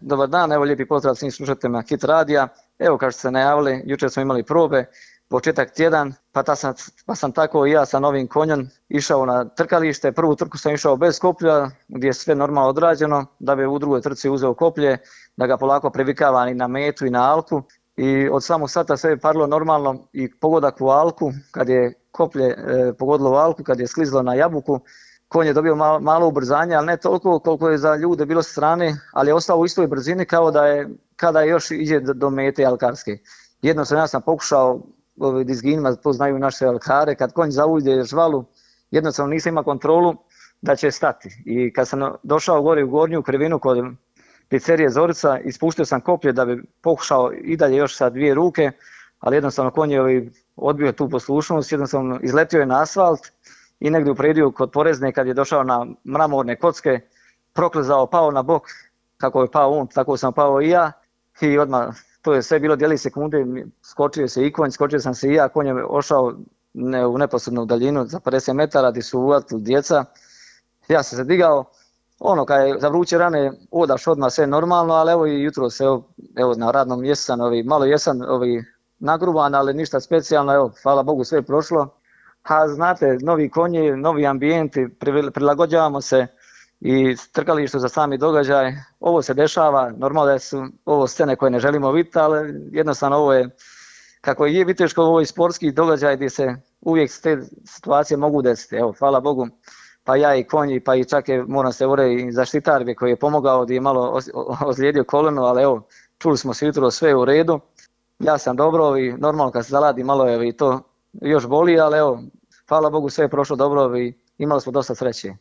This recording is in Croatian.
Dobar dan, evo lijepi pozdrav svim slušateljima Hit radija. Evo kao što ste najavili, jučer smo imali probe, početak tjedan, pa sam tako i ja sa novim konjem išao na trkalište. Prvu trku sam išao bez koplja, gdje je sve normalno odrađeno, da bi u drugoj trci uzeo koplje, da ga polako privikavam i na metu i na alku. I od samog sata sve je parilo normalno i pogodak u alku, kad je koplje pogodilo u alku, kad je sklizlo na jabuku, konj je dobio malo ubrzanje, ali ne toliko koliko je za ljude bilo sa strane, ali je ostao u istoj brzini kao kada još ide do mete alkarske. Jednostavno ja sam pokušao dizginima, to znaju naše alkare, kad konj zaujde žvalu, jednostavno nisam imao kontrolu da će stati. I kad sam došao gore u gornju krivinu kod pizzerije Zorica, ispuštio sam koplje da bi pokušao i dalje još sa dvije ruke, ali jednostavno konj je odbio tu poslušnost, jednostavno izletio je na asfalt i negdje u prediju kod Porezne kad je došao na mramorne kocke, proklizao, pao na bok, kako je pao on, tako sam pao i ja i odmah, to je sve bilo djelić sekunde, skočio se i konj, skočio sam se i ja, konj je ošao u neposrednu daljinu za 50 metara gdje su uvatili djeca, ja sam se digao, kad je za vruće rane odaš odmah sve normalno, ali evo i jutro se, evo na radnom mjestu sam, malo jesam nagruban, ali ništa specijalno, evo, hvala Bogu sve je prošlo. A znate, novi konji, novi ambijenti, prilagođavamo se i trkalištu za sami događaj. Ovo se dešava, normalno da su ovo scene koje ne želimo vidjeti, ali jednostavno ovo je, kako je viteško, ovo je sportski događaj gdje se uvijek te situacije mogu desiti. Evo, hvala Bogu, pa ja i konji, pa i čak je, moram se uvjeriti, i zaštitar koji je pomogao, gdje je malo ozlijedio koleno, ali evo, čuli smo se jutro, sve je u redu. Ja sam dobro i normalno kad se zaladi malo je i to još boli, ali evo, hvala Bogu sve je prošlo dobro i imali smo dosta sreće.